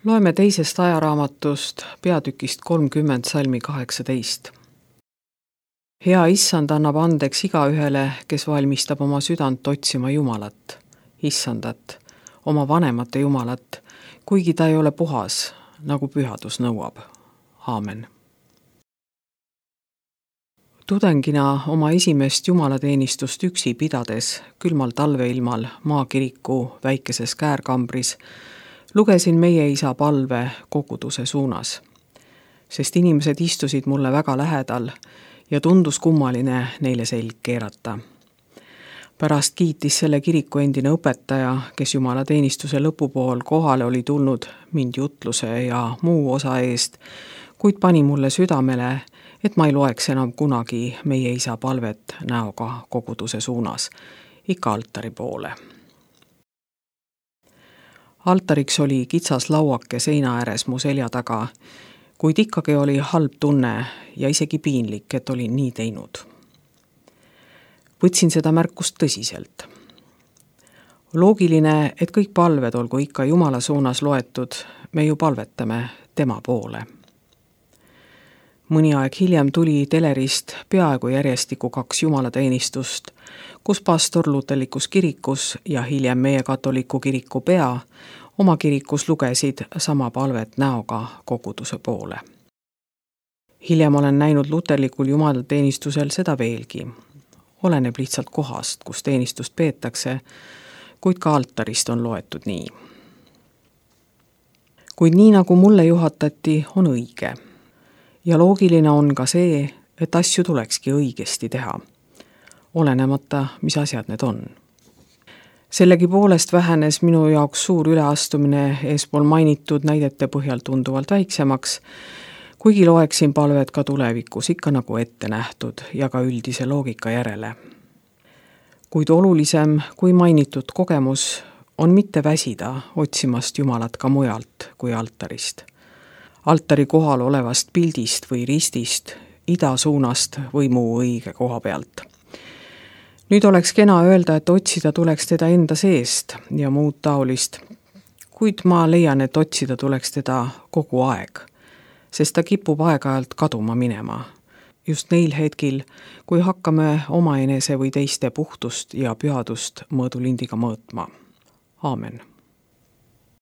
Loeme teisest ajaraamatust peatükist 30 salmi 18. Hea issand annab andeks igaühele, kes valmistab oma südant otsima Jumalat, issandat, oma vanemate Jumalat, kuigi ta ei ole puhas, nagu pühadus nõuab. Aamen. Tudengina oma esimest jumalateenistust üksi pidades külmal talveilmal maakiriku väikeses käärkambris lugesin meie isa palve koguduse suunas, sest inimesed istusid mulle väga lähedal ja tundus kummaline neile selg keerata. Pärast kiitis selle kiriku endine õpetaja, kes jumalateenistuse lõpupool kohale oli tulnud mind jutluse ja muu osa eest, kuid pani mulle südamele, et ma ei loeks enam kunagi meie isa palvet näoga koguduse suunas, ikka altari poole. Altariks oli kitsas lauake seina ääres mu selja taga, kuid ikkagi oli halb tunne ja isegi piinlik, et olin nii teinud. Võtsin seda märkust tõsiselt. Loogiline, et kõik palved olgu ikka Jumala suunas loetud, me ju palvetame tema poole. Mõni aeg hiljem tuli telerist peaaegu järjestikku 2 jumalateenistust, kus pastor luterlikus kirikus ja hiljem meie katoliku kiriku pea oma kirikus lugesid sama palvet näoga koguduse poole. Hiljem olen näinud luterlikul jumalateenistusel seda veelgi. Oleneb lihtsalt kohast, kus teenistust peetakse, kuid ka altarist on loetud nii. Kuid nii nagu mulle juhatati, on õige. Ja loogiline on ka see, et asju tulekski õigesti teha, olenemata, mis asjad need on. Sellegi poolest vähenes minu jaoks suur üleastumine eespool mainitud näidete põhjal tunduvalt väiksemaks, kuigi loeksin palvet ka tulevikus ikka nagu ette nähtud ja ka üldise loogika järele. Kuid olulisem kui mainitud kogemus on mitte väsida otsimast Jumalat ka mujalt kui altarist. Altari kohal olevast pildist või ristist, ida suunast või muu õige koha pealt. Nüüd oleks kena öelda, et otsida tuleks teda enda seest ja muud taolist, kuid ma leian, et otsida tuleks teda kogu aeg, sest ta kipub aeg-ajalt kaduma minema. Just neil hetkil, kui hakkame omaenese või teiste puhtust ja pühadust mõõdulindiga mõõtma. Aamen.